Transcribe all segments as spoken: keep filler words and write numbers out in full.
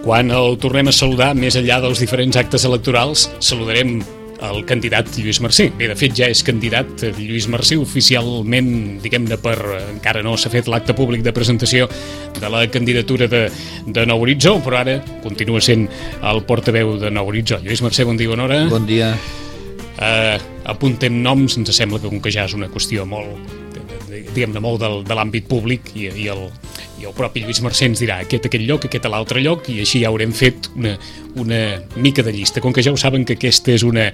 Quan el tornem a saludar, més enllà dels diferents actes electorals, saludarem el candidat Lluís Marcé. Bé, de fet, ja és candidat Lluís Marcé oficialment, diguem-ne, per... encara no s'ha fet l'acte públic de presentació de la candidatura de, de Nou Horitzó, però ara continua sent el portaveu de Nou Horitzó. Lluís Marcé, bon dia, bona hora. Bon dia. Uh, apuntem noms, ens sembla que com que ja és una qüestió molt, diguem-ne, molt del, de l'àmbit públic i, i, el, i el propi Lluís Marcé ens dirà aquest a aquest lloc, aquest a l'altre lloc, i així ja haurem fet una, una mica de llista. Com que ja ho saben que aquesta és una,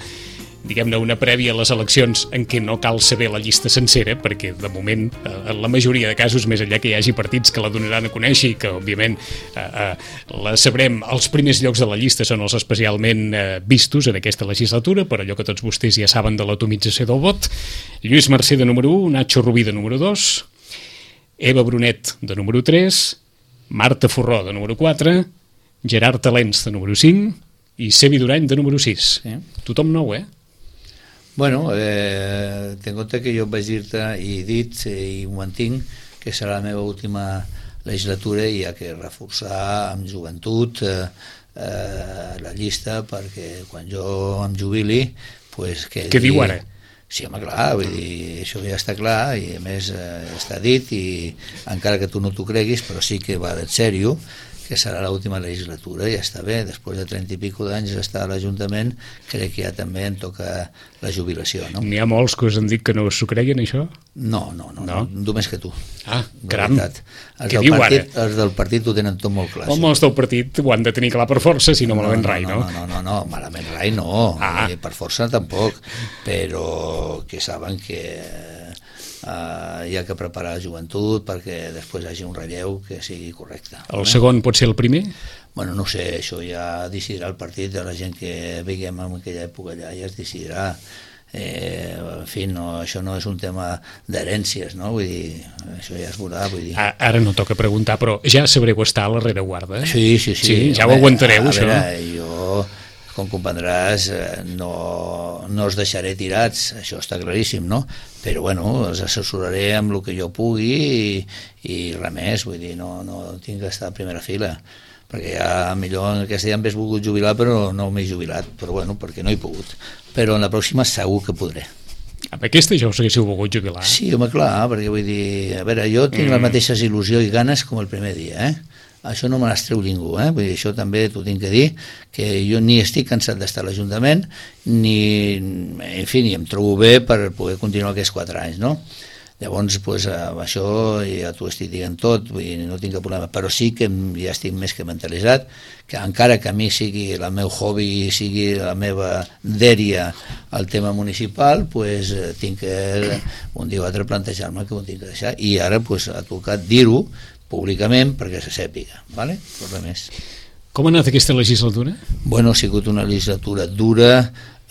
diguem-ne, una prèvia a les eleccions en què no cal saber la llista sencera, perquè de moment, en la majoria de casos, més enllà que hi hagi partits que la donaran a conèixer i que, òbviament, eh, eh, la sabrem, els primers llocs de la llista són els especialment eh, vistos en aquesta legislatura, per allò que tots vostès ja saben de l'atomització del vot. Lluís Marcé de número u, Nacho Rubí de número dos, Eva Brunet de número tres, Marta Forró de número quatre, Gerard Talens de número cinc i Sevi Durany de número sis. Sí. Tothom nou, eh? Bueno, eh, ten en compte que jo vaig dir-te i he dit i ho mantinc que serà la meva última legislatura i hi ha que reforçar amb joventut eh, eh, la llista perquè quan jo em jubili pues, que què diu ara? Sí, home, clar, vull dir, això ja està clar i a més eh, està dit i encara que tu no t'ho creguis, però sí que va en sèrio que serà l'última legislatura i ja està bé, després de trenta i pico d'anys estar a l'Ajuntament, crec que ja també em toca la jubilació, no? N'hi ha molts que us han dit que no s'ho creien, això? No, no, no, no, no només que tu. Ah, caram, què diu partit, ara? Els del partit ho tenen tot molt clar. Home, els del partit ho han de tenir clar per força, si no, no malament no, rai, no? No, no, no, no, malament rai no, ah. eh, per força tampoc, però que saben que... Uh, hi ha que preparar la joventut perquè després hi hagi un relleu que sigui correcte. El segon pot ser el primer? Bueno, no sé, això ja decidirà el partit de la gent que veiem en aquella època allà, ja es decidirà. Eh, en fi, no, això no és un tema d'herències, no? Vull dir, això ja es veurà, vull dir. Ara no toca preguntar, però ja sabreu estar a la rereguarda? Sí, sí, sí. Sí, ja ho aguantareu, a, a això? A veure, jo... com comprendràs, no, no els deixaré tirats, això està claríssim, no? Però, bueno, els assessoraré amb el que jo pugui i, i res més, vull dir, no, no tinc que estar a primera fila, perquè ja millor aquest dia m'hagués volgut jubilar, però no m'he jubilat, però, bueno, perquè no he pogut. Però en la pròxima segur que podré. Amb aquesta ja us haguéssiu volgut jubilar? Sí, home, clar, perquè vull dir, a veure, jo tinc mm. les mateixes il·lusió i ganes com el primer dia, eh? Això no me les treu ningú, eh? Vull dir, això també t'ho tinc que dir, que jo ni estic cansat d'estar a l'Ajuntament, ni, en fi, ni em trobo bé per poder continuar aquests quatre anys, no? Llavors, pues, això ja t'ho estic dient tot, vull dir, no tinc cap problema, però sí que ja estic més que mentalitzat, que encara que a mi sigui el meu hobby, sigui la meva dèria al tema municipal, pues, tinc que un dia o altre plantejar-me que ho tinc que deixar, i ara pues, ha tocat dir-ho públicament perquè se sàpiga, ¿vale? Però res més. Com ha anat aquesta legislatura? Bueno, ha sigut una legislatura dura,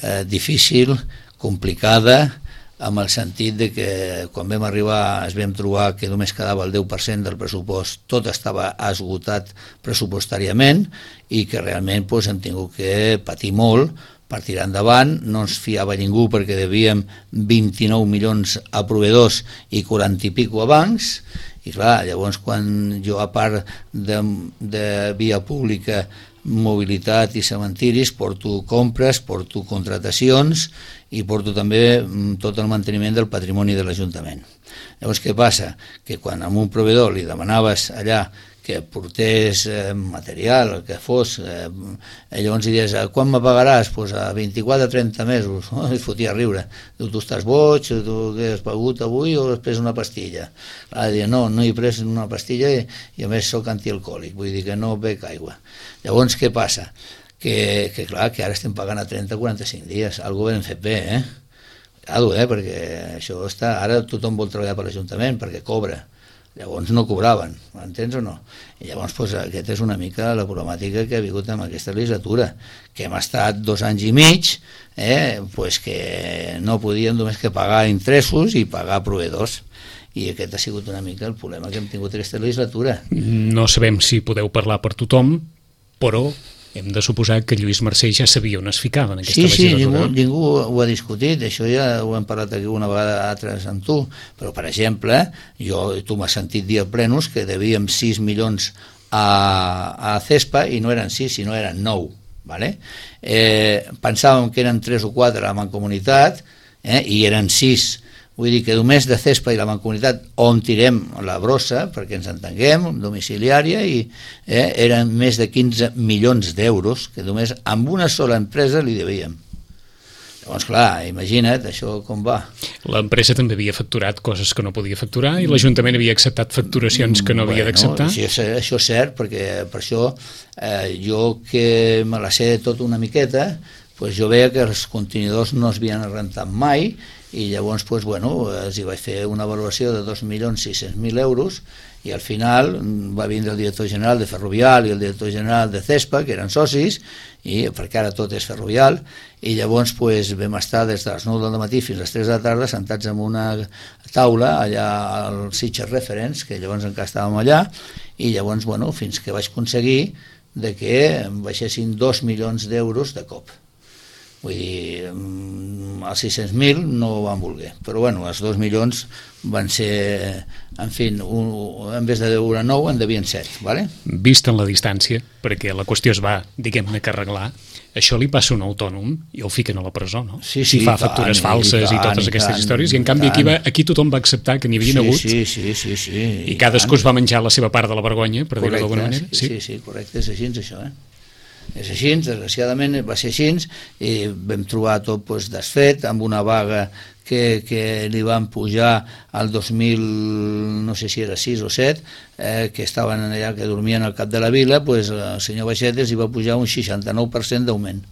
eh, difícil, complicada, amb el sentit de que quan vam arribar es vam trobar que només quedava el deu per cent del pressupost, tot estava esgotat pressupostàriament i que realment pues, hem tingut que patir molt per tirar endavant, no ens fiava ningú perquè devíem vint-i-nou milions a proveïdors i quaranta i pico a bancs, i clar, llavors quan jo a part de, de via pública, mobilitat i cementiris, porto compres, porto contratacions i porto també tot el manteniment del patrimoni de l'Ajuntament. Llavors què passa? Que quan a un proveïdor li demanaves allà que portés eh, material, el que fos, eh, llavors hi dius, quan me pagaràs? Pues a vint-i-quatre a trenta mesos. Oh, es fotia a riure. Diu, tu estàs boig, tu què has pagut avui o has pres una pastilla? Clar, diu, no, no he pres una pastilla i, i a més soc antialcohòlic, vull dir que no bec aigua. Llavors què passa? Que, que clar, que ara estem pagant a trenta a quaranta-cinc dies, algo ben fet bé, eh? Cuidado, eh? Perquè això està... Ara tothom vol treballar per l'Ajuntament perquè cobra. Llavors no cobraven, m'entens o no? I llavors pues, aquesta és una mica la problemàtica que ha vingut amb aquesta legislatura, que hem estat dos anys i mig, eh, pues que no podíem només que pagar interessos i pagar proveïdors. I aquest ha sigut una mica el problema que hem tingut aquesta legislatura. No sabem si podeu parlar per tothom, però hem de suposar que Lluís Mercè ja sabia on es ficava en aquesta sí, sí, legislatura. Ningú, ningú ho ha discutit, això ja ho hem parlat aquí una vegada altres amb tu, però per exemple, jo, tu m'has sentit dir a plenos que devíem sis milions a, a CESPA i no eren sis, sinó eren nou, vale? eh, pensàvem que eren tres o quatre a la Mancomunitat, eh, i eren sis. Vull dir que només de CESPA i la Mancomunitat on tirem la brossa, perquè ens entenguem, domiciliària, i eh, eren més de quinze milions d'euros que només amb una sola empresa li devíem. Llavors, clar, imagina't això com va. L'empresa també havia facturat coses que no podia facturar i l'Ajuntament havia acceptat facturacions que no havia bueno, d'acceptar. Sí, això és cert, perquè per això eh, jo que me la sé tot una miqueta, pues jo veia que els contenidors no es havien rentat mai i llavors pues, bueno, els hi vaig fer una valoració de dos milions sis-cents mil euros i al final va vindre el director general de Ferrovial i el director general de CESPA, que eren socis, i perquè ara tot és Ferrovial, i llavors pues, vam estar des de les nou del matí fins a les tres de la tarda sentats en una taula allà al Sitges Reference, que llavors encara estàvem allà, i llavors bueno, fins que vaig aconseguir de que em baixessin dos milions d'euros de cop. Vull dir, els sis-cents mil no ho van voler, però bueno, els dos milions van ser, en fi, un, en vez de deure nou en devien set, vale? Vist en la distància, perquè la qüestió es va, diguem-ne, que arreglar, això li passa a un autònom i el fiquen a la presó, no? Sí, si sí, fa tant, factures i falses i, tant, totes i aquestes tant, històries, i en canvi aquí, va, aquí tothom va acceptar que n'hi havia sí, hagut sí, sí, sí, sí, i cadascú es va menjar la seva part de la vergonya, per dir-ho d'alguna manera. Sí, sí, sí, correcte, és així, això, eh? És així, desgraciadament va ser així, i vam trobar tot pues, desfet, amb una vaga que, que li van pujar al dos mil, no sé si era sis o set, eh, que estaven allà, que dormien al cap de la vila, pues, el senyor Baixetes hi va pujar un seixanta-nou per cent d'augment.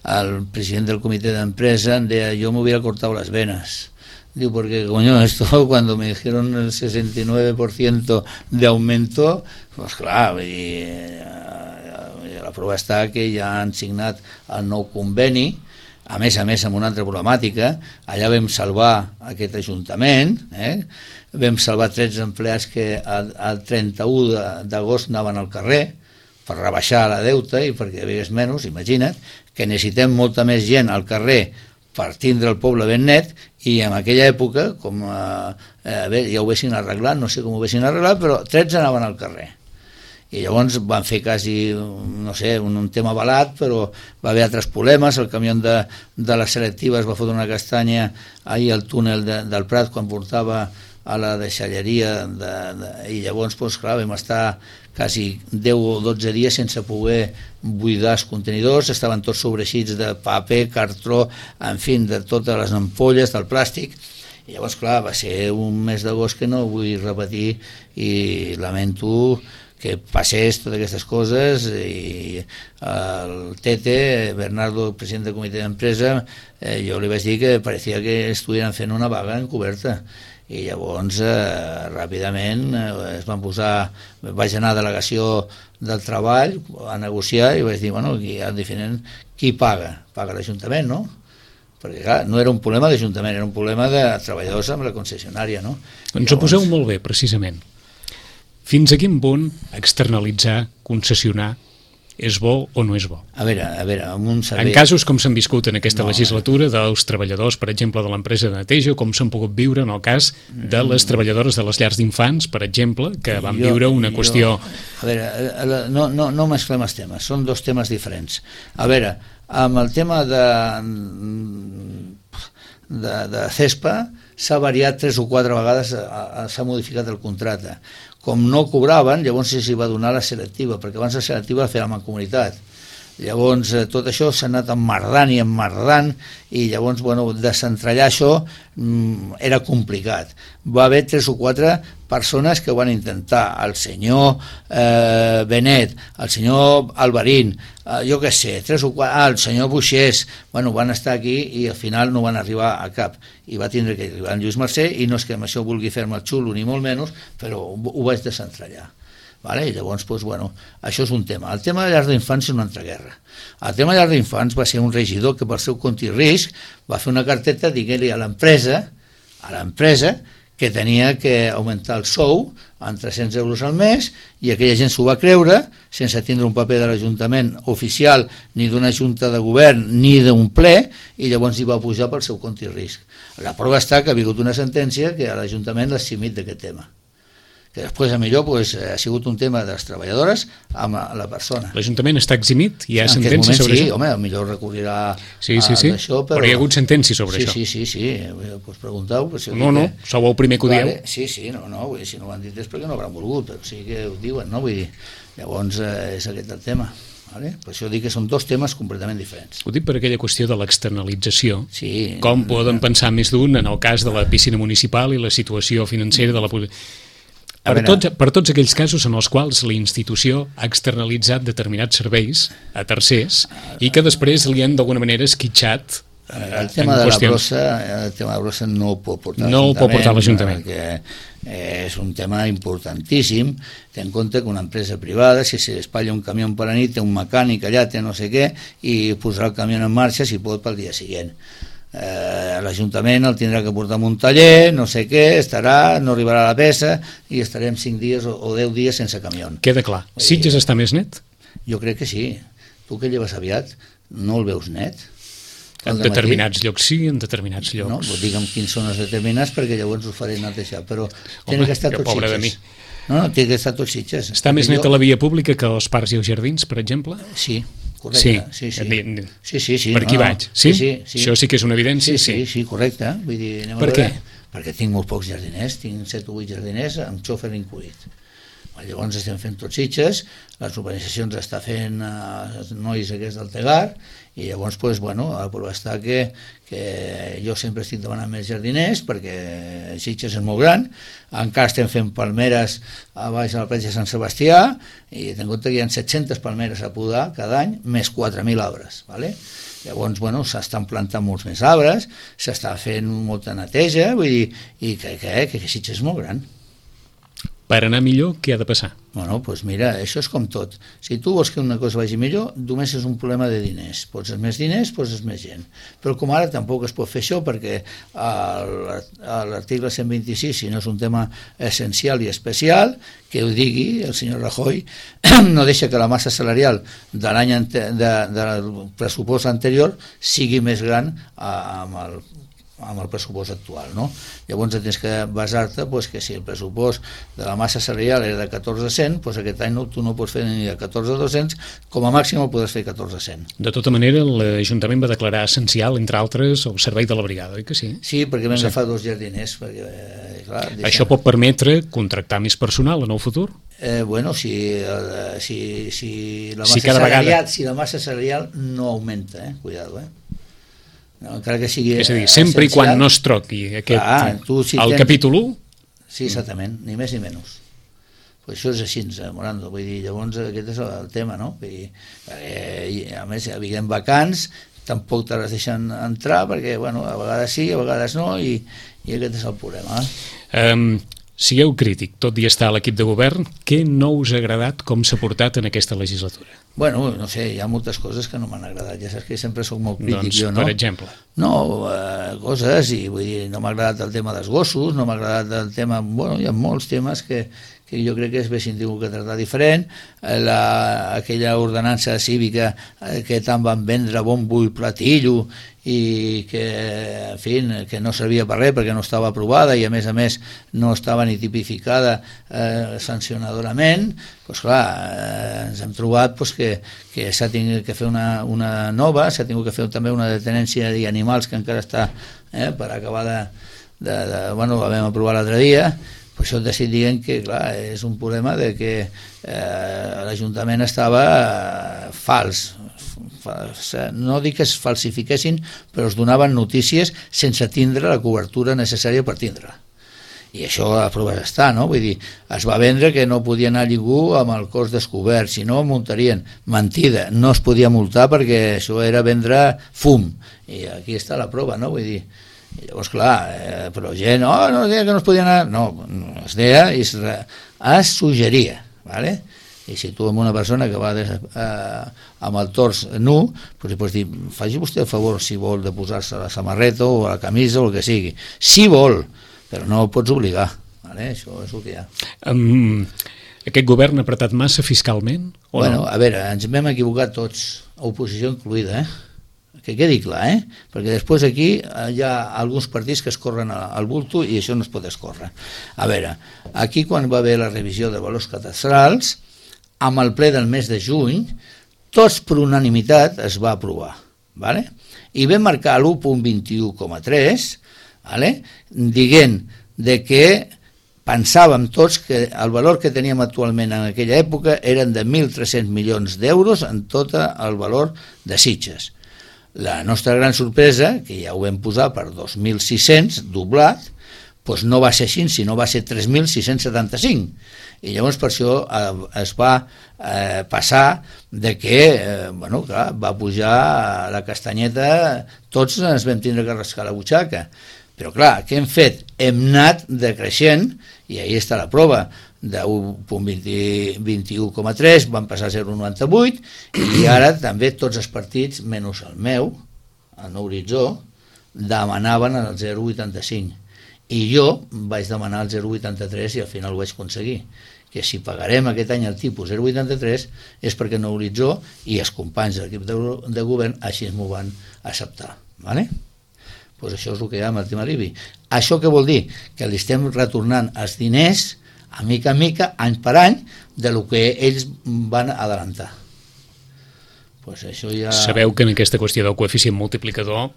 El president del comitè d'empresa em deia, yo me hubiera cortado las venas. Digo, porque coño, esto cuando me dijeron el sesenta y nueve por ciento de aumento, pues clar, i, la prova està que ja han signat el nou conveni, a més a més amb una altra problemàtica, allà vam salvar aquest ajuntament, eh? Vam salvar tretze empleats que el trenta-u d'agost anaven al carrer per rebaixar la deuta i perquè hi hagués menys, imagina't, que necessitem molta més gent al carrer per tindre el poble ben net, i en aquella època, com eh, a veure, ja ho haguessin arreglat, no sé com ho haguessin arreglat, però tretze anaven al carrer. I llavors van fer quasi, no sé, un, un tema balat, però va haver altres problemes, el camió de, de la selectiva es va fotre una castanya ahir al túnel de, del Prat quan portava a la deixalleria, de, de, i llavors, doncs, clar, vam estar quasi deu o dotze dies sense poder buidar els contenidors, estaven tots sobreixits de paper, cartró, en fi, de totes les ampolles, del plàstic, i llavors, clar, va ser un mes d'agost que no vull repetir i lamento que passés totes aquestes coses, i el Tete, Bernardo, president del comitè d'empresa, eh, jo li vaig dir que parecia que estuvien fent una vaga encoberta, i llavors eh, ràpidament eh, es van posar, vaig anar a delegació del treball a negociar i vaig dir, bueno, aquí han diferent qui paga, paga l'Ajuntament, no? Perquè clar, no era un problema d'Ajuntament, era un problema de treballadors amb la concessionària, no? Ens ho poseu molt bé, precisament. Fins a quin punt externalitzar, concessionar, és bo o no és bo? A veure, a veure, amb un servei... En casos com s'han viscut en aquesta no, legislatura dels treballadors, per exemple, de l'empresa de neteja, com s'han pogut viure en el cas de les treballadores de les llars d'infants, per exemple, que van jo, viure una qüestió... Jo, a veure, no, no, no mesclem els temes, són dos temes diferents. A veure, amb el tema de, de, de CESPA s'ha variat tres o quatre vegades, s'ha modificat el contracte. Com no cobraven, llavors s'hi va donar la selectiva, perquè abans la selectiva la feia la Mancomunitat. Llavors tot això s'ha anat emmerdant i emmerdant, i llavors bueno, desentrellar això mm, era complicat. Va haver tres o quatre persones que ho van intentar, el senyor eh, Benet, el senyor Alvarín, eh, jo què sé, tres o quatre, ah, el senyor Buixés, bueno, van estar aquí i al final no van arribar a cap, i va tindre que arribar en Lluís Mercè, i no és que amb això vulgui fer-me el xulo ni molt menys, però ho, ho vaig desentrellar. Vale? I llavors, doncs, bueno, això és un tema. El tema de llars d'infants és una altra guerra. El tema de llars d'infants va ser un regidor que per seu compte i risc va fer una carteta dient-li a l'empresa a l'empresa que tenia que augmentar el sou en tres-cents euros al mes, i aquella gent s'ho va creure, sense tindre un paper de l'Ajuntament oficial, ni d'una junta de govern, ni d'un ple, i llavors hi va pujar pel seu compte i risc. La prova està que ha vingut una sentència que a l'Ajuntament l'ha eximit d'aquest tema, que després a millor pues, ha sigut un tema de les treballadores amb la persona. L'Ajuntament està eximit? Hi ha en sentència moment, sobre sí, això? Home, millor recorrirà sí, sí, sí. a això, però... però hi ha hagut sentència sobre sí, això? Sí, sí, sí, sí. Pues pregunteu. Pues, no, no, que... sou el primer que ho dieu. Vale. Sí, sí, no, no, vull dir, si no ho han dit és perquè no hauran volgut, però sí que ho diuen, no? Vull dir, llavors eh, és aquest el tema. Vale? Per això dic que són dos temes completament diferents. Ho dic per aquella qüestió de l'externalització. Sí, Com poden pensar més d'un en el cas de la piscina municipal i la situació financera de la... Per tots, per tots aquells casos en els quals la institució ha externalitzat determinats serveis a tercers i que després li han d'alguna manera esquitxat eh, el tema de qüestions. la brossa el tema de la brossa no ho pot portar no l'Ajuntament, pot portar l'Ajuntament perquè és un tema importantíssim. Ten en compte que una empresa privada, si s'espatlla un camió per la nit, té un mecànic allà, té no sé què, i posarà el camió en marxa si pot pel dia següent. Eh, l'Ajuntament el tindrà que portar a un taller, no sé què, estarà, no arribarà a la peça i estarem cinc dies o, o deu dies sense camió. Queda clar. Sitges està més net? Jo crec que sí. Tu que lleves aviat, no el veus net? En determinats llocs sí, en determinats llocs. No, pues digue'm quins són els determinats perquè llavors ho faré netejar, però té que estar tots Sitges. No, no, té que estar tots Sitges. Està més net a la via pública que als parcs i als jardins, per exemple? Sí. Correcte, sí, sí, sí. sí, sí, sí per aquí no, vaig, sí? Sí, sí, sí? Això sí que és una evidència? Sí, sí, sí, sí correcte. Vull dir, anem per a què? Perquè tinc molt pocs jardiners, tinc set o vuit jardiners amb xòfer incluït. Llavors estem fent tots Sitges, les urbanitzacions està fent els nois aquests del Tegar, i llavors, pues, bueno, la prova està que, que jo sempre estic demanant més jardiners, perquè Sitges és molt gran, encara estem fent palmeres a baix a la platja de Sant Sebastià, i ten en compte que hi ha set-centes palmeres a podar cada any, més quatre mil arbres, ¿vale? Llavors, bueno, s'estan plantant molts més arbres, s'està fent molta neteja, vull dir, i que, que, que, que Sitges és molt gran. Per anar millor, què ha de passar? Bueno, doncs mira, això és com tot. Si tu vols que una cosa vagi millor, només és un problema de diners. Poses més diners, poses més gent. Però com ara tampoc es pot fer això, perquè l'article cent vint-i-sis, si no és un tema essencial i especial, que ho digui el senyor Rajoy, no deixa que la massa salarial de l'any de, del pressupost anterior sigui més gran amb el amb el pressupost actual, no? Llavors tens que basar-te pues, que si el pressupost de la massa salarial era de catorze cent, pues aquest any no, tu no pots fer ni de catorze dos-cents, com a màxim el podràs fer catorze cent. De tota manera, l'Ajuntament va declarar essencial, entre altres, el servei de la brigada, oi que sí? Sí, perquè vam sí. agafar dos jardiners. Perquè, eh, clar, deixem... Això pot permetre contractar més personal en el futur? Eh, bueno, si, eh, si, si, la massa si, cada salarial, vegada... si la massa salarial no augmenta, eh? Cuidado, eh? No, encara que sigui és a dir, sempre essencial, i quan no es troqui aquest, clar, tu, si el tens... capítol u. Sí, exactament, ni més ni menys. Pues això és així, Morando, vull dir, llavors aquest és el tema, no? Vull dir, eh, a més, havien vacants, tampoc te les deixen entrar, perquè, bueno, a vegades sí, a vegades no, i, i aquest és el problema. Um, sigueu crític, tot i estar a l'equip de govern, què no us ha agradat com s'ha portat en aquesta legislatura? Bueno, no sé, hi ha moltes coses que no m'han agradat, ja saps que sempre soc molt crític doncs, jo, no? Per exemple? No, eh, coses, i vull dir, no m'ha agradat el tema dels gossos, no m'ha agradat el tema, bueno, hi ha molts temes que, que jo crec que es haguessin tingut que tractar diferent, la, aquella ordenança cívica eh, que tant van vendre bombo i platillo, i que, en fi, que no servia per res perquè no estava aprovada i a més a més no estava ni tipificada eh, sancionadorament, doncs clar, eh, ens hem trobat pues, que, que s'ha tingut que fer una, una nova, s'ha tingut que fer també una detenència d'animals que encara està eh, per acabar de, de, de... Bueno, la vam aprovar l'altre dia, per això et estic dient que clar, és un problema de que eh, l'Ajuntament estava eh, fals, no dic que es falsifiquessin, però es donaven notícies sense tindre la cobertura necessària per tindre-la. I això a proves està, no? Vull dir, es va vendre que no podia anar ningú amb el cos descobert, si no multarien. Mentida, no es podia multar perquè això era vendre fum. I aquí està la prova, no? Vull dir, i llavors, clar, eh, però gent, oh, no es deia que no es podia anar... No, es deia i es, es suggeria, ¿vale? I si tu amb una persona que va des, eh, amb el tors nu, doncs li pots dir, faci vostè el favor si vol de posar-se la samarreta o la camisa o el que sigui. Si vol, però no ho pots obligar, Vale? Això és el que hi ha. Um, aquest govern ha apretat massa fiscalment? O bueno, no? A veure, ens vam equivocar tots, oposició incluïda, eh? Que quedi clar, eh? Perquè després aquí hi ha alguns partits que es corren al bulto i això no es pot escórrer. A veure, aquí quan va haver la revisió de valors catastrals, amb el ple del mes de juny, tots per unanimitat es va aprovar, ¿vale? I vam marcar l'u coma vint-i-u coma tres, ¿vale? Dient de que pensàvem tots que el valor que teníem actualment en aquella època eren de mil tres-cents milions d'euros en tot el valor de Sitges. La nostra gran sorpresa, que ja ho vam posar per dos mil sis-cents, doblat, doncs no va ser així, sinó va ser tres mil sis-cents setanta-cinc. I llavors per això es va eh, passar de que, eh, bueno, clar, va pujar la castanyeta, tots ens vam tindre que rascar la butxaca. Però clar, què hem fet? Hem anat decreixent, i ahí està la prova, de u coma vint-i-u coma tres van passar a zero coma noranta-vuit i ara també tots els partits, menys el meu, el Nou Horitzó, demanaven el zero coma vuitanta-cinc i jo vaig demanar el zero coma vuitanta-tres i al final ho vaig aconseguir, que si pagarem aquest any el tipus zero coma vuitanta-tres és perquè Nou Horitzó i els companys de l'equip de, de govern així m'ho van acceptar, ¿vale? Pues això és el que hi ha amb el tema l'I B I. Això què vol dir? Que li estem retornant els diners a mica a mica, any per any, de lo que ells van adelantar. Pues això ja... Sabeu que en aquesta qüestió del coeficient multiplicador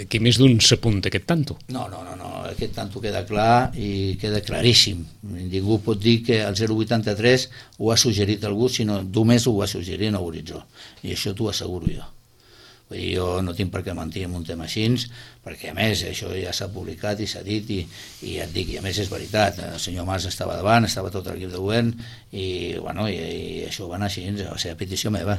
aquí més d'un s'apunta aquest tanto. No, no, no, no, aquest tanto queda clar i queda claríssim. Ningú pot dir que el zero coma vuitanta-tres ho ha suggerit algú, sinó només ho va suggerir Nou Horitzó. I això t'ho asseguro jo. Jo no tinc per què mentir en un tema així, perquè a més això ja s'ha publicat i s'ha dit i, i ja et dic, i a més és veritat, el senyor Mas estava davant, estava tot l'equip de govern i, bueno, i, i això va anar així, va ser a petició meva.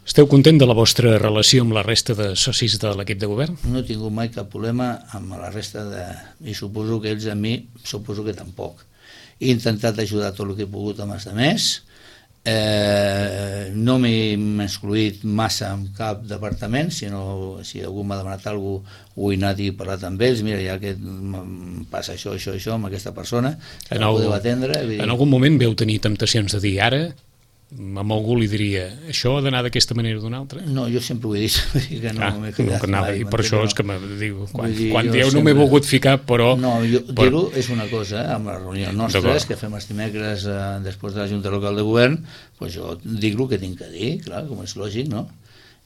Esteu content de la vostra relació amb la resta de socis de l'equip de govern? No he tingut mai cap problema amb la resta de... i suposo que ells a mi, suposo que tampoc. He intentat ajudar tot el que he pogut amb els altres. Eh, no m'he excluït massa en cap departament, sinó si algú m'ha demanat alguna cosa ho he anat i parlat amb ells, mira, ja que passa això, això, això amb aquesta persona, que no podeu atendre. En algun moment veu tenir temptacions de dir ara, amb algú li diria, això ha d'anar d'aquesta manera o d'una altra? No, jo sempre ho he dit, que no ah, m'he quedat no, mai. I per això és que me diu, quan, dir, quan dieu sempre... no m'he volgut ficar, però... No, jo, però... dir-ho és una cosa, eh? Amb les reunions nostres, que fem els dimecres eh, després de la Junta Local de Govern, pues jo dic el que tinc que dir, clar, com és lògic, no?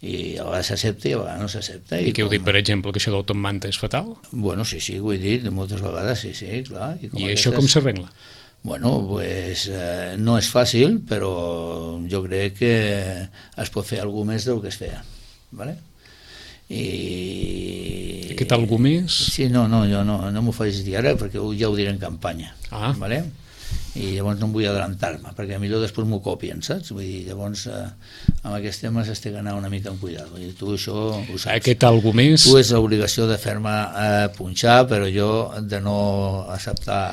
I a vegades s'accepta i a vegades no s'accepta. I, I què heu dit, per exemple, que això del Tom Manta és fatal? Bueno, sí, sí, ho he dit moltes vegades, sí, sí, clar. I, com I aquestes... això com s'arregla? Bueno, pues eh, no és fàcil, però jo crec que es pot fer alguna més del que es feia, ¿vale? I... Aquest algú més? Sí, no, no, jo no, no m'ho faig dir ara perquè ja ho diré en campanya, ah. ¿vale? I llavors no em vull adelantar-me, perquè millor després m'ho copien, saps? Vull dir, llavors eh, amb aquests temes has de anar una mica amb cuidado. Vull dir, tu això ho saps. Aquest algú més? Tu és l'obligació de fer-me eh, punxar, però jo de no acceptar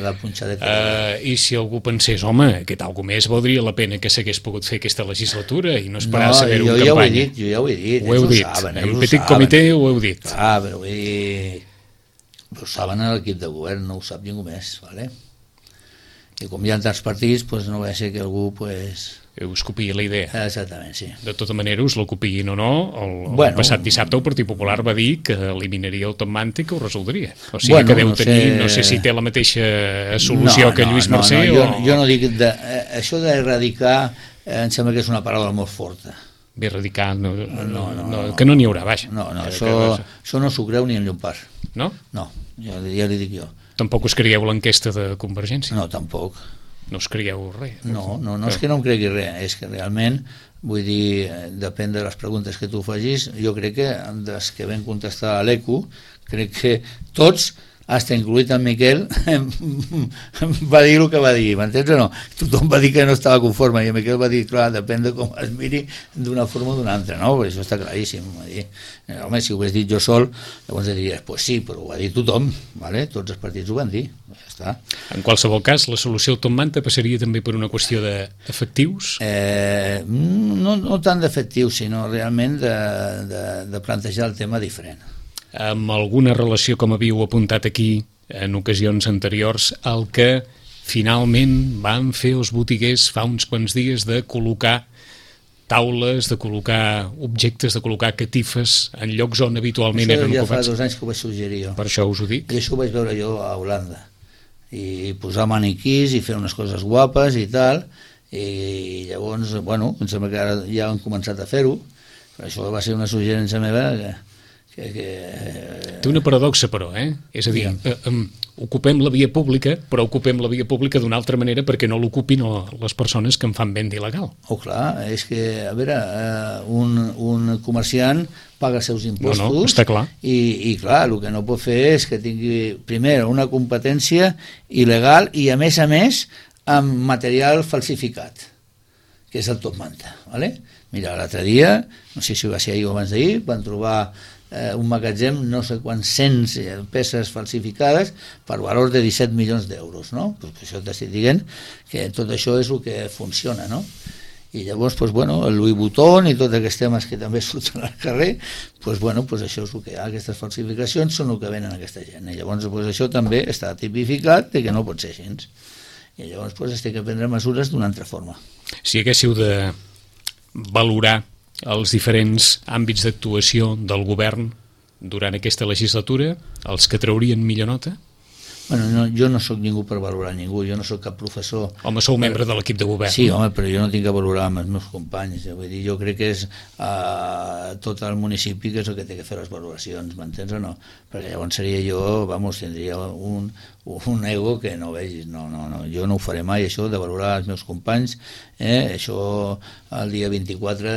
la punxadeta. Uh, I si algú pensés, home, aquest algú més valdria la pena que s'hagués pogut fer aquesta legislatura i no esperar no, a saber-ho en ja campanya. Ho he dit, jo ja ho he dit, ho heu ells dit. ho saben. En petit comitè ho heu dit. Clar, però vull dir, ho saben l'equip de govern, no ho sap ningú més, ¿vale? I com hi ha tants partits, pues no va ser que algú pues... us copiï la idea. Exactament, sí. De tota manera, us la copiïn o no, el, bueno, el passat dissabte el Partit Popular va dir que eliminaria el Tom Manta i que ho resoldria. O sigui bueno, que deu no tenir, sé... no sé si té la mateixa solució no, que no, Lluís no, Mercè no, o... jo, jo no dic... De, eh, això d'erradicar eh, em sembla que és una paraula molt forta. Bé, erradicar, no, no, no, no, no, que no n'hi haurà, vaja. No, no, eh, això, que... això no s'ho creu ni en Llompart. No? No, ja, ja li dic jo. Tampoc us creieu l'enquesta de Convergència? No, tampoc. No us creieu res? No, no, no és que no em cregui res, és que realment, vull dir, depèn de les preguntes que tu facis, jo crec que des que vam contestar a l'E Q, crec que tots, hasta incluït en Miquel, va dir el que va dir, m'entens o no? Tothom va dir que no estava conforme i en Miquel va dir, clar, depèn de com es miri d'una forma o d'una altra, no? Perquè això està claríssim. Va dir, home, si ho hagués dit jo sol, llavors diries, pues sí, però ho va dir tothom, ¿vale? Tots els partits ho van dir, ja està. En qualsevol cas, la solució al Tom Manta passaria també per una qüestió d'efectius? Eh, no, no tant d'efectius, sinó realment de, de, de plantejar el tema diferent. Amb alguna relació, com havíeu apuntat aquí, en ocasions anteriors el que finalment van fer els botiguers fa uns quants dies de col·locar taules, de col·locar objectes, de col·locar catifes en llocs on habitualment això eren ja ocupats. Fa dos anys que ho vaig suggerir jo. Per això us ho dic. I això ho vaig veure jo a Holanda. I posar maniquís i fer unes coses guapes i tal, i llavors, bueno, em sembla que ara ja han començat a fer-ho, però això va ser una suggerència meva que... que, que... Té una paradoxa, però, eh? És a dir, eh, eh, ocupem la via pública, però ocupem la via pública d'una altra manera perquè no l'ocupin les persones que en fan venda il·legal. Oh, clar, és que, a veure, eh, un, un comerciant paga els seus impostos, no, no, està clar. I, i clar, el que no pot fer és que tingui, primer, una competència il·legal i, a més a més, amb material falsificat, que és el top manta, ¿vale? Mira, l'altre dia, no sé si va ser ahir o abans d'ahir, van trobar eh, un magatzem, no sé quants cents peces falsificades per valor de disset milions d'euros, no? Pues això t'estic dient que tot això és el que funciona, no? I llavors, pues, bueno, el Louis Vuitton i tots aquests temes que també surten al carrer, pues, bueno, pues, això és el que hi ha, aquestes falsificacions són el que venen aquesta gent, i llavors pues, això també està tipificat de que no pot ser així. I llavors pues, es té que prendre mesures d'una altra forma. Si haguéssiu de valorar els diferents àmbits d'actuació del govern durant aquesta legislatura, els que traurien millor nota? Bueno, no, jo no sóc ningú per valorar ningú, jo no sóc cap professor. Home, sou membre de l'equip de govern. Sí, home, però jo no tinc que valorar amb els meus companys, eh? Vull dir, jo crec que és uh, tot el municipi que és el que té que fer les valoracions, m'entens o no? Perquè llavors seria jo, vamos, tindria un, un ego que no vegis, no, no, no, jo no ho faré mai, això de valorar els meus companys, eh? Això el dia vint-i-quatre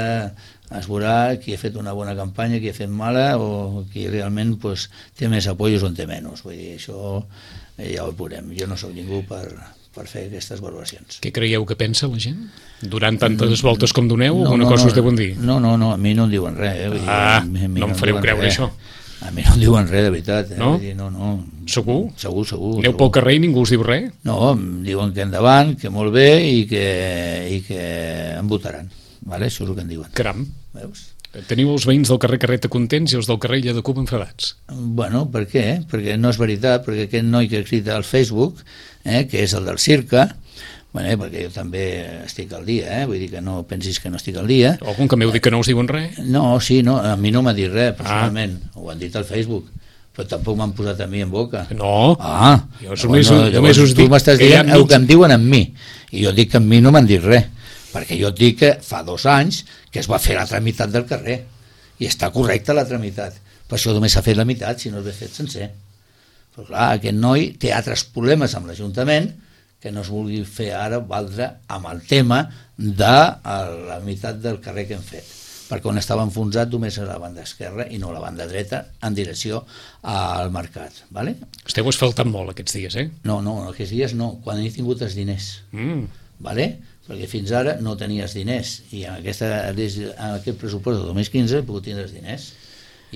es veurà qui ha fet una bona campanya, qui ha fet mala o qui realment pues, té més apoyos o en té menys. Vull dir, això eh, ja ho veurem. Jo no sóc ningú per, per fer aquestes valoracions. Què creieu que pensa la gent? Durant tantes voltes com doneu, no, alguna no, cosa no, us deuen dir? No, no, no, a mi no em diuen res. Eh? Vull dir, ah, a mi, a mi no em fareu creure res. això. A mi no em diuen res, de veritat. Eh? No? Vull dir, no, no. Segur? Segur, segur. Aneu segur. pel carrer i ningú us diu res? No, em diuen que endavant, que molt bé i que, i que em votaran. Vale? Això és el que em diuen. Caram. Veus? Teniu els veïns del carrer Carreta contents i els del carrer Illa de Cuba enfadats. Bueno, per què? Perquè no és veritat, perquè aquest noi que crida al Facebook, eh, que és el del Circa, bueno, eh, perquè jo també estic al dia, eh, vull dir que no pensis que no estic al dia. Algun que m'heu dit que no us diuen res? No, sí, no, a mi no m'ha dit res, personalment, ah. Ho han dit al Facebook, però tampoc m'han posat a mi en boca. No, ah, jo només, no, només us tu dic m'estàs que dient el mig... que em diuen amb mi, i jo dic que amb mi no m'han dit res, perquè jo et dic que fa dos anys que es va fer la tramitat del carrer, i està correcta la tramitat, per això només s'ha fet la meitat, si no l'he fet sencer. Però clar, aquest noi té altres problemes amb l'Ajuntament que no es vulgui fer ara valdre amb el tema de la meitat del carrer que hem fet, perquè on estava enfonsat només a la banda esquerra i no a la banda dreta en direcció al mercat. Vale? Esteu asfaltant molt aquests dies, eh? No, no, aquests dies no, quan he tingut els diners. Mm. Vale? Perquè fins ara no tenies diners i en, aquesta, en aquest pressupost del dos mil quinze he pogut tindre els diners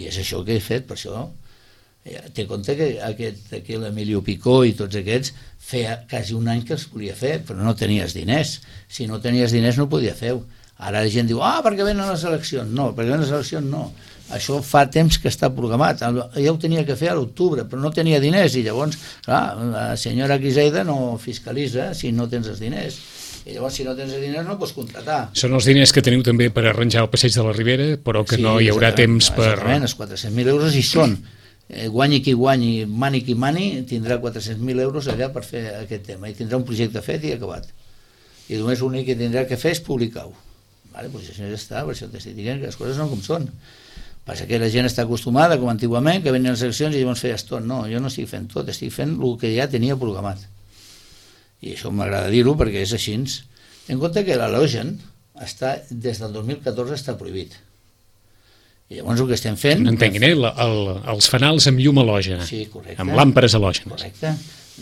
i és això que he fet, per això té compte que aquest, aquí l'Emilio Picó i tots aquests feia quasi un any que els volia fer però no tenies diners, si no tenies diners no podia fer-ho, ara la gent diu ah, perquè venen les eleccions, no, perquè venen les eleccions no, això fa temps que està programat, ja ho tenia que fer a l'octubre però no tenia diners i llavors clar, la senyora Quiseida no fiscalitza si no tens els diners i llavors si no tens diners no pots contratar. Són els diners que teniu també per arranjar el passeig de la Ribera, però que sí, no hi haurà temps per... Exactament, els quatre-cents mil euros hi són. Eh, guanyi qui guanyi, mani qui mani, tindrà quatre-cents mil euros allà per fer aquest tema i tindrà un projecte fet i acabat. I només l'únic que tindrà que fer és publicar-ho. Vale, doncs això ja està, per això t'estic dient que les coses no com són. Passa que la gent està acostumada, com antigament, que venien les eleccions i llavors feies tot. No, jo no estic fent tot, estic fent el que ja tenia programat. I això m'agrada dir-ho perquè és així. En compte que l'halogen està, des del dos mil catorze està prohibit. I llavors el que estem fent... No entenguin, eh? El, el, els fanals amb llum halògena. Sí, correcte. Amb làmperes halògenes. Correcte.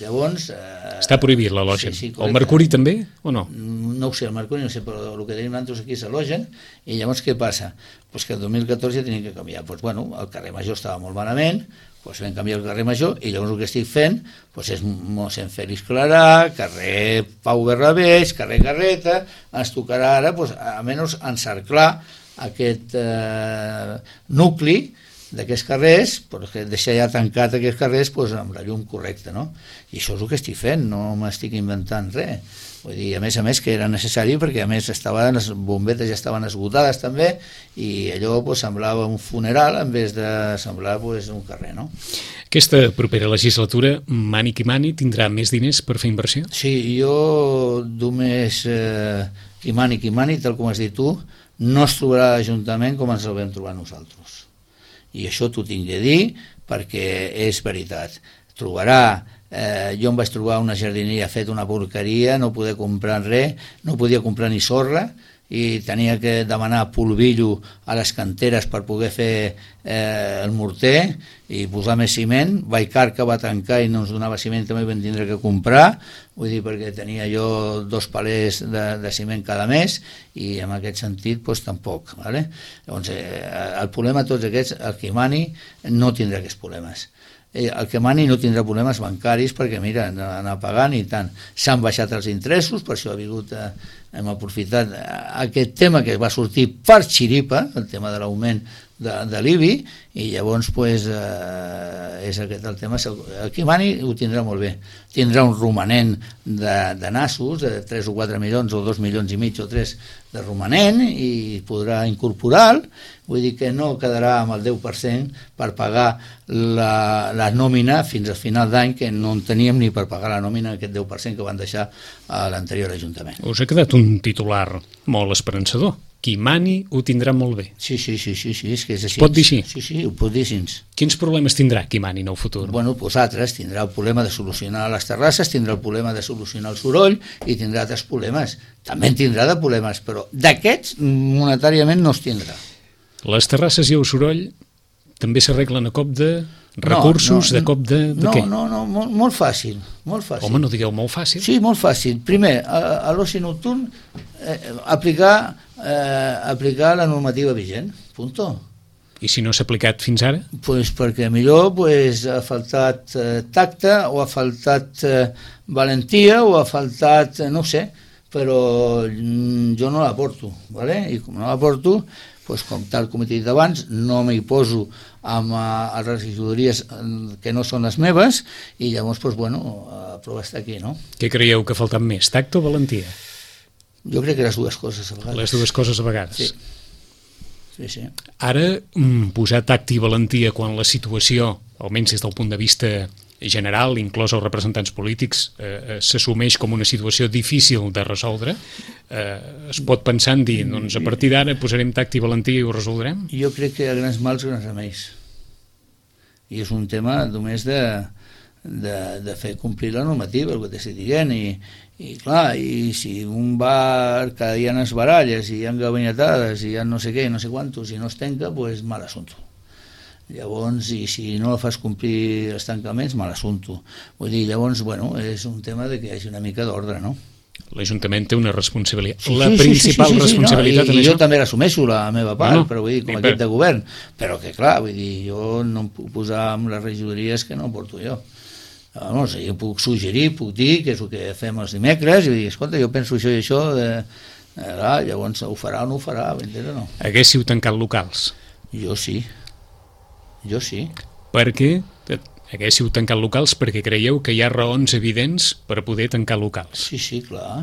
Llavors... Eh, està prohibit l'halogen. Sí, sí, el mercuri també o no? No ho sé, el mercuri no sé, però el que tenim nosaltres aquí és halogen. I llavors què passa? Pues que el dos mil catorze ja tenim que canviar. Pues bueno, el carrer Major estava molt malament, pues vam canviar el carrer Major i llavors el que estic fent pues és mossèn Fèlix Clarà, carrer Pau Bernabés, carrer Carreta, ens tocarà ara pues, almenys encerclar aquest eh, nucli d'aquests carrers, perquè deixar ja tancat aquests carrers doncs, amb la llum correcta, no? I això és el que estic fent, no m'estic inventant res. Vull dir, a més a més que era necessari perquè a més estaven, les bombetes ja estaven esgotades també i allò pues, semblava un funeral en vez de semblar pues, un carrer, no? Aquesta propera legislatura, mani qui mani, tindrà més diners per fer inversió? Sí, jo només eh, qui mani qui mani, tal com has dit tu, no es trobarà l'Ajuntament com ens el vam trobar nosaltres. I això t'ho tinc de dir perquè és veritat. Trobarà Eh, jo em vaig trobar una jardineria fet una porqueria, no podia comprar res, no podia comprar ni sorra i tenia que demanar polvillo a les canteres per poder fer eh, el morter i posar més ciment. Vallcarca va tancar i no ens donava ciment, també vam tindre que comprar, vull dir, perquè tenia jo dos palers de, de ciment cada mes i en aquest sentit doncs, tampoc. ¿Vale? Llavors, eh, el problema de tots aquests, el que mani no tindrà aquests problemes. El que mani no tindrà problemes bancaris perquè mira, anar pagant i tant. S'han baixat els interessos, per això ha vingut, eh, hem aprofitat aquest tema que va sortir per xiripa, el tema de l'augment de, de l'I B I, i llavors pues, eh, és aquest el tema. El que mani ho tindrà molt bé. Tindrà un romanent de, de nassos, de tres o quatre milions o dos milions i mig o tres de romanent i podrà incorporar-lo. Vull dir que no quedarà amb el deu per cent per pagar la, la nòmina fins al final d'any, que no en teníem ni per pagar la nòmina, aquest deu per cent que van deixar a l'anterior Ajuntament. Us ha quedat un titular molt esperançador. Qui mani ho tindrà molt bé. Sí, sí, sí, sí, sí és que és així. Es pot dir així? Sí, sí, ho pot dir així. Quins problemes tindrà qui mani en el futur? Bueno, doncs altres. Tindrà el problema de solucionar les terrasses, tindrà el problema de solucionar el soroll i tindrà altres problemes. També en tindrà de problemes, però d'aquests monetàriament no es tindrà. Les terrasses i el soroll també s'arreglen a cop de recursos, no, no, de cop de, de no, què? No, no, molt, molt fàcil, molt fàcil. Home, no digueu molt fàcil. Sí, molt fàcil. Primer, a, a l'oci nocturn, eh, aplicar, eh, aplicar la normativa vigent, punto. I si no s'ha aplicat fins ara? Pues perquè millor pues, ha faltat eh, tacte, o ha faltat eh, valentia, o ha faltat, eh, no ho sé, però mm, jo no la porto, ¿vale? I com no la porto, pues, com tal com he dit abans, no m'hi poso amb uh, les regidories que no són les meves i llavors, pues, bueno, la prova està aquí, no? Què creieu que ha faltat més, tacte o valentia? Jo crec que les dues coses a vegades. Les dues coses a vegades. Sí. Sí, sí. Ara, posar tacte i valentia quan la situació, almenys des del punt de vista general, inclòs els representants polítics, eh, s'assumeix com una situació difícil de resoldre, eh, es pot pensar en dir, doncs a partir d'ara posarem tacte i valentia i ho resoldrem? Jo crec que a grans mals, grans remeis. I és un tema només de, de, de fer complir la normativa, el que t'estic dient, i, i clar, i si un bar cada dia no es baralles, i hi ha gabinetades, i hi ha no sé què, no sé quantos, i no es tanca, doncs mal assumpte. Llavors, i si no fas complir els tancaments, mal assumpte. Vull dir, llavors, bueno, és un tema de que hi hagi una mica d'ordre, no? L'Ajuntament té una responsabilitat, sí, la sí, principal sí, sí, sí, responsabilitat sí, no? I, en i això. jo també l'assumeixo, la meva part, no, no. però vull dir, com I a equip per... de govern, però que clar, vull dir, jo no em puc posar amb les regidories que no porto jo. No sé, jo puc suggerir, puc dir que és el que fem els dimecres, i dir, escolta, jo penso això i això, de... eh, llavors ho farà o no ho farà, m'entens o no? Haguéssiu tancat locals? Jo sí. Jo sí. Perquè haguéssiu tancat locals perquè creieu que hi ha raons evidents per poder tancar locals. Sí, sí, clar.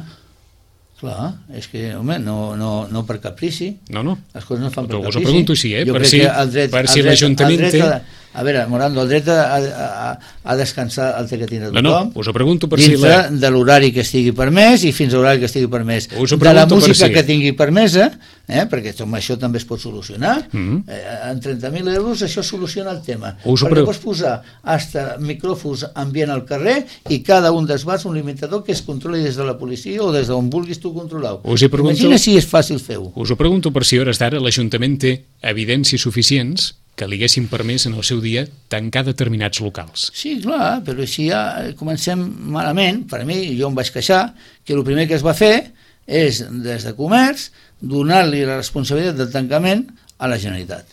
Clar, és que, home, no, no, no per caprici. No, no. Les coses no fan per Us caprici. ho pregunto així, eh? Jo Per crec si, que el dret, per el si dret, l'Ajuntament el dret té... A, a veure, Morando, el dret a, a, a descansar el té que tindre tothom. No, no, us ho pregunto per dintre si la... de l'horari que estigui permès i fins a l'horari que estigui permès. Us ho de la pregunto per música si. que tingui permesa, eh, perquè amb això també es pot solucionar. Mm-hmm. eh, en trenta mil euros això soluciona el tema. Us ho perquè pregu- pots posar hasta micròfons ambient al carrer i cada un dels bars un limitador que es controli des de la policia o des d'on vulguis tu controlar-ho. Us hi pregunto... Imagina si és fàcil fer-ho. Us ho pregunto per si a hores d'ara l'Ajuntament té evidències suficients que li haguessin permès en el seu dia tancar determinats locals. Sí, clar, però si ja comencem malament, per mi, jo em vaig queixar, que el primer que es va fer és, des de comerç, donar-li la responsabilitat del tancament a la Generalitat.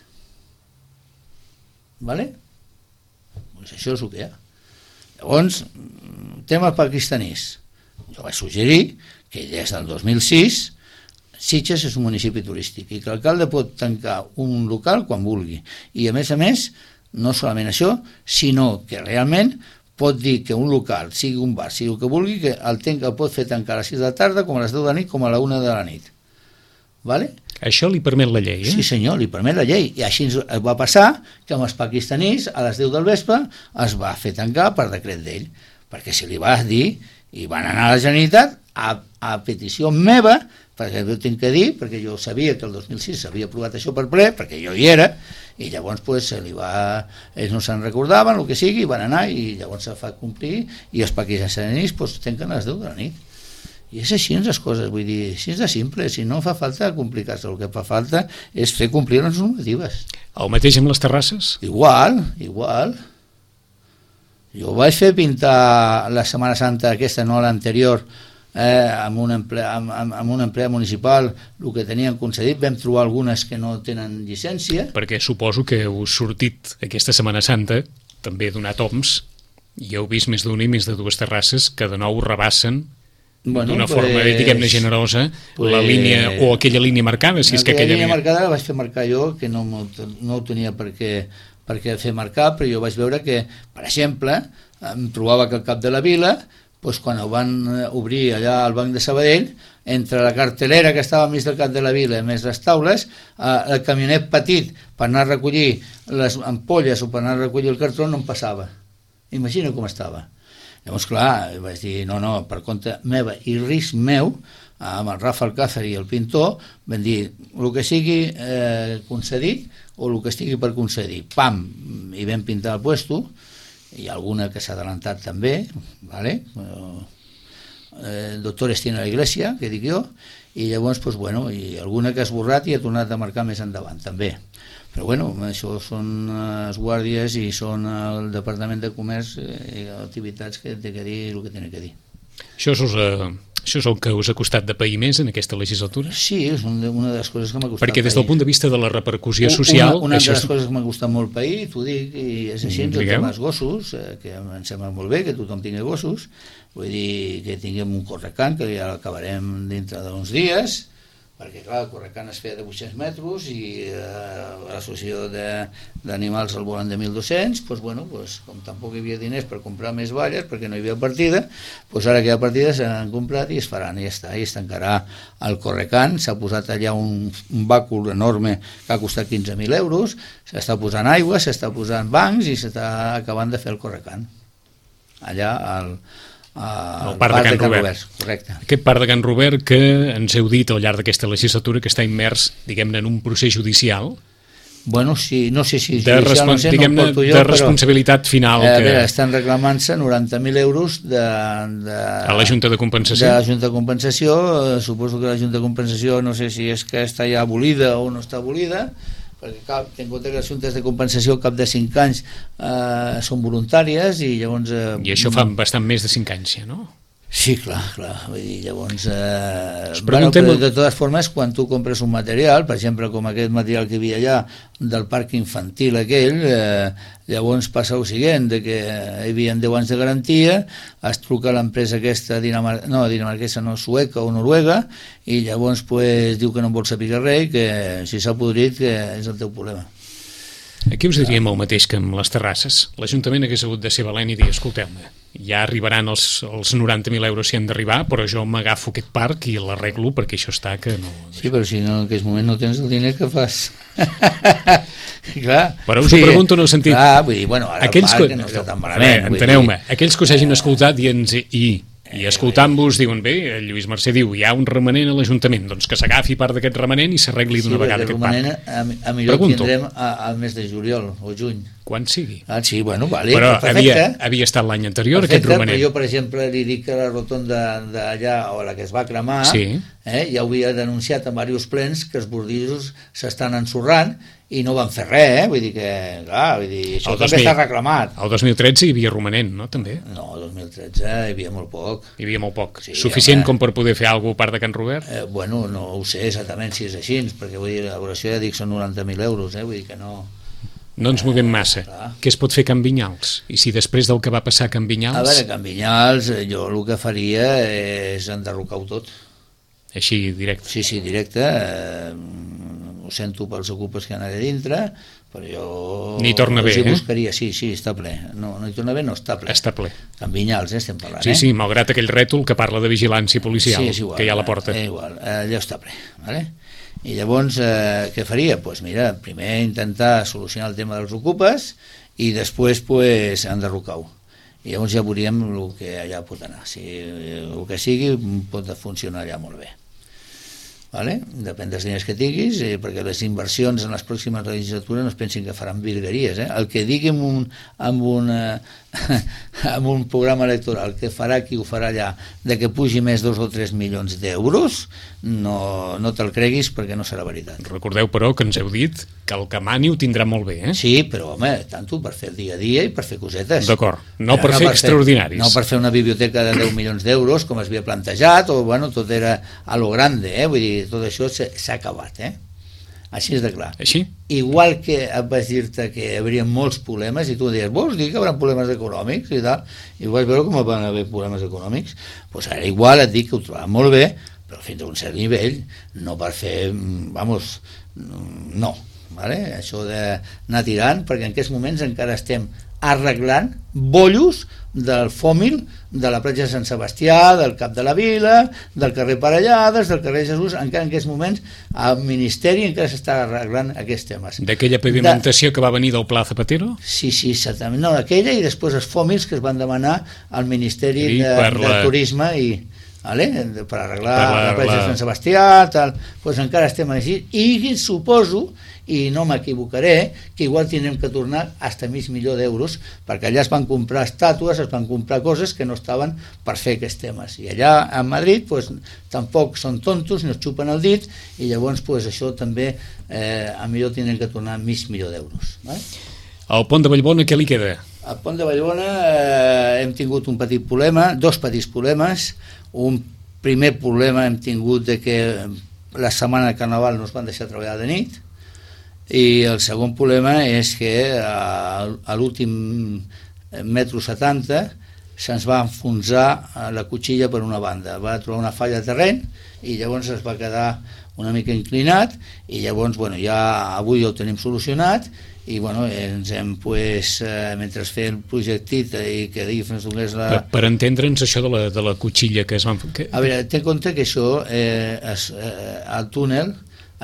Vale? Pues això és el que hi ha. Llavors, tema pakistanís. Jo vaig suggerir que des del dos mil sis Sitges és un municipi turístic i que l'alcalde pot tancar un local quan vulgui. I a més a més, no solament això, sinó que realment pot dir que un local, sigui un bar, sigui el que vulgui, que el, tenca, el pot fer tancar a les sis de la tarda, com a les deu de la nit, com a la una de la nit. Vale? Això li permet la llei, eh? Sí senyor, li permet la llei. I així va passar que amb els pakistanís a les deu del vespre es va fer tancar per decret d'ell, perquè si li vas dir i van anar a la Generalitat a, a petició meva, perquè ho tinc que dir, perquè jo sabia que el dos mil sis s'havia aprovat això per ple, perquè jo hi era, i llavors pues, se li va, ells no se'n recordaven, el que sigui, van anar i llavors se fa complir i els pakistanís pues, tanquen a les deu de la nit. I és així les coses, vull dir, així és de simple, si no fa falta complicar-se, el que fa falta és fer complir les normatives. El mateix amb les terrasses? Igual, igual. Jo vaig fer pintar la Setmana Santa aquesta, no l'anterior, eh, amb, un emplea, amb, amb, amb un empleat municipal, el que tenien concedit, vam trobar algunes que no tenen llicència. Perquè suposo que heu sortit aquesta Setmana Santa, també donat oms, i heu vist més d'una i més de dues terrasses que de nou rebassen bueno, d'una pues, forma, diguem-ne, generosa, pues, la línia, o aquella línia marcada, si és que aquella línia marcada la vaig fer marcar jo, que no, no ho tenia per què, per què fer marcar, però jo vaig veure que, per exemple, em trobava que al cap de la vila, doncs quan ho van obrir allà al Banc de Sabadell, entre la cartelera que estava mig del cap de la vila més les taules, eh, el camionet petit per anar a recollir les ampolles o per anar a recollir el cartró no em passava. Imagina com estava. Llavors, clar, vaig dir, no, no, per compte meva i risc meu, amb el Rafa Alcázar i el pintor, vam dir, el que sigui eh, concedit o el que estigui per concedir. Pam! I vam pintar el puesto, hi ha alguna que s'ha adelantat també, ¿vale? El doctor Estina a la Iglesia, que dic jo, i llavors, pues, bueno, i alguna que ha esborrat i ha tornat a marcar més endavant, també. Però bueno, això són les guàrdies i són el Departament de Comerç i activitats que té que dir el que té que dir. Això és, uh, això és el que us ha costat de pair més en aquesta legislatura? Sí, és una de les coses que m'ha costat Perquè des del pair. punt de vista de la repercussió social... Una, una això de les és... coses que m'ha costat molt pair, t'ho dic, i és així, mm, amb els gossos, que em sembla molt bé que tothom tingui gossos, vull dir que tinguem un correcant, que ja l'acabarem dintre d'uns dies, perquè clar, el correcant es feia de vuit-cents metres i eh, l'associació d'animals el volen de mil dos-cents, doncs, bueno, doncs, com tampoc hi havia diners per comprar més valles perquè no hi havia partida, doncs ara que hi ha partida s'han comprat i es faran i ja està, i es tancarà el correcant. S'ha posat allà un, un bàcul enorme que ha costat quinze mil euros, s'està posant aigua, s'està posant bancs i s'està acabant de fer el correcant allà al Uh, el parc, parc de Can, Can Robert. Robert, correcte. Aquest parc de Can Robert que ens heu dit al llarg d'aquesta legislatura que està immers, diguem-ne, en un procés judicial. Bueno, sí, no sé si de, judicial, no sé, no jo, de responsabilitat però, final. Eh, que... A veure, estan reclamant-se noranta mil euros de, de, a la Junta de Compensació. De la Junta de Compensació. Eh, suposo que la Junta de Compensació no sé si és que està ja abolida o no està abolida, perquè cal, ten en compte que les juntes de compensació al cap de cinc anys eh, són voluntàries i llavors... Eh, I això fa bastant més de cinc anys, ja, no? Sí, clar, clar. Vull dir, llavors... Eh, bueno, però de totes formes, quan tu compres un material, per exemple, com aquest material que hi havia allà del parc infantil aquell, eh, llavors passa el següent, de que hi havia deu anys de garantia, es truca a l'empresa aquesta, Dinamar no, dinamarquesa no, sueca o noruega, i llavors pues, diu que no vol saber res, que si s'ha podrit que és el teu problema. Aquí us diríem el mateix que amb les terrasses. L'Ajuntament hagués hagut de ser valent i dir, escolteu-me, ja arribaran els, els noranta mil euros si han d'arribar, però jo m'agafo aquest parc i l'arreglo perquè això està que no... Sí, però si no, en aquest moment no tens el diner que fas. Clar. Però us ho pregunto en el sentit... Clar, vull dir, bueno, ara aquells el parc que... no està tan malament. Enteneu-me, aquells que us hagin escoltat i ens... I... I escoltant-vos diuen, bé, el Lluís Mercè diu, hi ha un remanent a l'Ajuntament, doncs que s'agafi part d'aquest remanent i s'arregli d'una sí, vegada aquest parc. A, a millor Pregunto. Tindrem al mes de juliol o juny. Quan sigui. Ah, sí, bueno, vale. Però havia, havia estat l'any anterior perfecte, aquest romanent. Però jo, per exemple, li dic que la rotonda d'allà, o la que es va cremar, sí. eh, ja ho havia denunciat en diversos plens que els bordillos s'estan ensorrant i no van fer res, eh? Vull dir que, clar, vull dir, això el també dos mil, està reclamat. El dos mil tretze hi havia romanent, no, també? No, el dos mil tretze hi havia molt poc. Hi havia molt poc. Sí, suficient home, com per poder fer alguna cosa a part de Can Robert? Eh, bueno, no ho sé exactament si és així, perquè vull dir, l'elaboració ja dic són noranta mil euros, eh? Vull dir que no... No ens movem massa. Eh, Què es pot fer a Can Vinyals? I si després del que va passar a Can Vinyals... A veure, a Can Vinyals jo el que faria és enderrocar-ho tot. així directe. Sí, sí, directe. Eh, ho sento pels ocupes que han allà dintre, però jo... Ni torna bé, eh? eh? Buscaria, sí, sí, està ple. No, no hi torna bé, no, està ple. Està ple. En Vinyals, eh, estem parlant, sí, eh? Sí, malgrat aquell rètol que parla de vigilància policial, sí, igual, que hi ha a la porta. Eh, igual, allò està ple, vale? I llavors, eh, què faria? Doncs pues mira, primer intentar solucionar el tema dels ocupes i després, pues, enderrocar-ho. I llavors ja veuríem el que allà pot anar. Si el que sigui pot funcionar allà molt bé. Vale? Depèn dels diners que tinguis, eh, perquè les inversions en les pròximes legislatures no es pensin que faran virgueries. Eh? El que digui en un, en, una, en un programa electoral que farà qui ho farà allà, de que pugi més dos o tres milions d'euros, no, no te'l creguis perquè no serà veritat. Recordeu, però, que ens heu dit que el que mani ho tindrà molt bé, eh? Sí, però, home, tant per fer el dia a dia i per fer cosetes. D'acord, no per no fer per extraordinaris. Fer, no per fer una biblioteca de deu milions d'euros, com es havia plantejat, o, bueno, tot era a lo grande, eh? Vull dir, tot això s'ha acabat, eh? Així és de clar. Així? Igual que vaig dir-te que hi hauria molts problemes, i tu deies, vols dir que hi haurà problemes econòmics i tal, i vas veure com van haver problemes econòmics, doncs ara igual et dic que ho trobava molt bé, però fins a un cert nivell, no per fer, vamos, no, vale? Això d'anar tirant, perquè en aquests moments encara estem arreglant bollos del fòmil de la platja de Sant Sebastià, del Cap de la Vila, del carrer Parellades, del carrer Jesús. Encara en aquests moments al Ministeri encara s'està arreglant aquests temes. D'aquella pavimentació de... que va venir del Pla Zapatero? Sí, sí, exactament. No, aquella i després els fòmils que es van demanar al Ministeri I de, per de la... Turisme i... Vale? Per arreglar per la, la platja la... de Sant Sebastià, tal, doncs encara estem així, i suposo, i no m'equivocaré, que igual tindrem que tornar hasta mig milió d'euros, perquè allà es van comprar estàtues, es van comprar coses que no estaven per fer aquests temes, i allà a Madrid pues, tampoc són tontos, no es xupen el dit, i llavors pues, això també eh, a millor tindrem que tornar mig milió d'euros. Vale? Al pont de Vallbona què li queda? Al pont de Vallbona eh, hem tingut un petit problema, dos petits problemes. Un primer problema hem tingut de que la setmana de Carnaval no es van deixar treballar de nit, i el segon problema és que a, a l'últim metro setanta se'ns va enfonsar la cotxilla per una banda, va trobar una falla de terreny i llavors es va quedar una mica inclinat, i llavors bueno, ja avui ja ho tenim solucionat, i bueno, ens hem pues, eh, mentre fer el projectit i que digui fins donés la... Per, per entendre'ns això de la, de la cotxilla que es van... Que... A veure, té en compte que això eh, es, eh, el túnel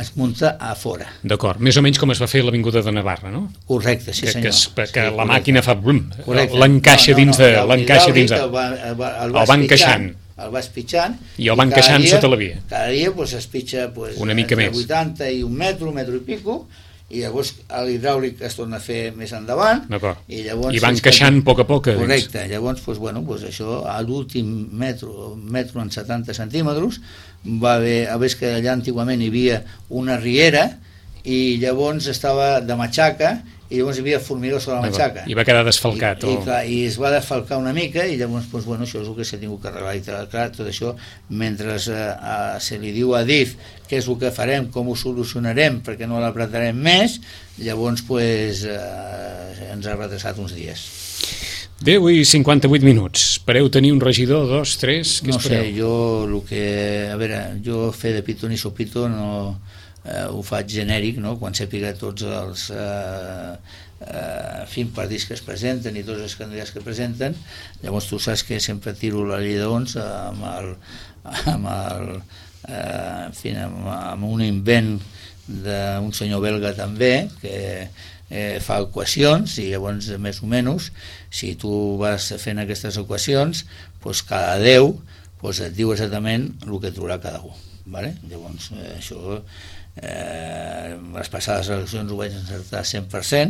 es munta a fora. D'acord, més o menys com es va fer l'Avinguda de Navarra, no? Correcte, sí que, senyor. Que, es, que sí, la màquina fa... no, l'encaixa no, no, dins de... no, l'encaixa dins de... El, va, el, va, el, el van encaixant. El va espitxant. I el van encaixant sota la via. Cada dia pues, es pitja pues, una mica més. vuitanta i un metro, un metro i pico, i llavors l'hidràulic es torna a fer més endavant, i llavors... I va encaixant a poc a poc. Correcte, llavors doncs, bueno, doncs això a l'últim metro, metro en setanta centímetres, va haver, a veure que allà antigament hi havia una riera, i llavors estava de matxaca, i llavors hi havia formigó sobre la matxaca. I va quedar desfalcat. I, o... i, clar, i es va desfalcar una mica, i llavors doncs, bueno, això és el que s'ha tingut que arreglar. I clar, tot això, mentre eh, eh, se li diu a D I F què és el que farem, com ho solucionarem, perquè no l'apretarem més, llavors pues, eh, ens ha retrasat uns dies. deu i cinquanta-vuit minuts. Espereu tenir un regidor, dos, tres? Què no espereu? sé, jo el que... A veure, jo fer de pito ni sopito no... Eh, ho faig genèric, no? Quan sàpiga tots els eh, eh, fins partits que es presenten i tots els candidats que presenten, llavors tu saps que sempre tiro la llei d'ons amb el, amb el eh, en fi, amb, amb un invent d'un senyor belga també que eh, fa equacions, i llavors més o menys si tu vas fent aquestes equacions doncs cada deu doncs et diu exactament el que trobarà cada un, vale? Llavors eh, això Eh, les passades eleccions ho vaig encertar cent per cent,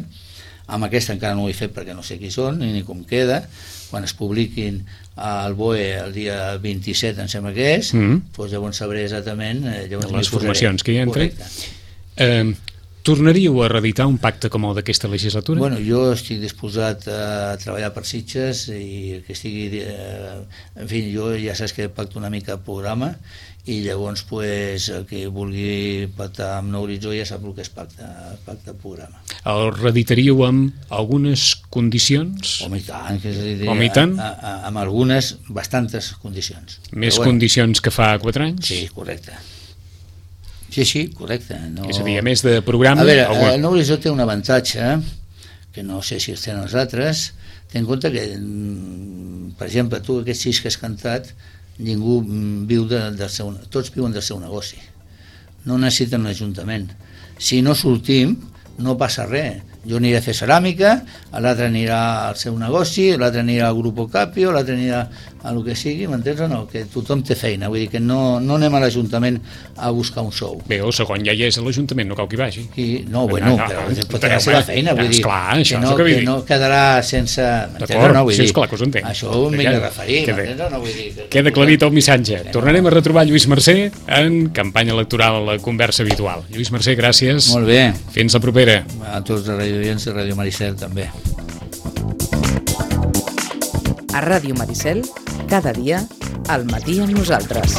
amb aquesta encara no ho he fet perquè no sé qui són ni, ni com queda. Quan es publiquin al B O E el dia vint-i-set em sembla que és, mm -hmm. doncs llavors sabré exactament eh, llavors les formacions que hi entren. Eh, Tornaríeu a reeditar un pacte com el d'aquesta legislatura? Bueno, jo estic disposat a treballar per Sitges i que estigui... Eh, en fi, jo ja saps que pacto una mica programa i llavors pues, el que vulgui pactar amb Nou Horitzó ja sap el que és pacte, pacte programa. El reeditaríeu amb algunes condicions? Home, i tant, que és a dir, Home, i tant? A, a, amb algunes, bastantes condicions. Més Però, bueno, condicions que fa quatre anys? Sí, correcte. Sí, sí, correcte. No... És a dir, a més de programa... A veure, alguna... el Nou Horitzó té un avantatge, que no sé si els tenen els altres. Ten en compte que, per exemple, tu aquests sis que has cantat, ningú viu de, del seu... Tots viuen del seu negoci. No necessiten un ajuntament. Si no sortim, no passa res. Jo aniré a fer ceràmica, l'altre anirà al seu negoci, l'altre anirà al Grupo Capio, l'altre anirà a el que sigui, m'entens o no? Que tothom té feina, vull dir que no, no anem a l'Ajuntament a buscar un sou. Bé, el segon ja hi és a l'Ajuntament, no cal que hi vagi. I, no, bueno, no, però no, pot tenir la seva feina, vull dir, esclar, això que, no, que, que no quedarà sense... D'acord, no, vull sí, dir, esclar que us entenc. Això ho m'he de referir, queda, m'entens o no? Vull dir, que, queda aclarit el missatge. Tornarem a retrobar Lluís Mercè en campanya electoral a la conversa habitual. Lluís Mercè, gràcies. Molt bé. Fins la propera. A tots els radioients de Ràdio Maricel, també. A Ràdio Maricel, cada dia, al matí amb nosaltres.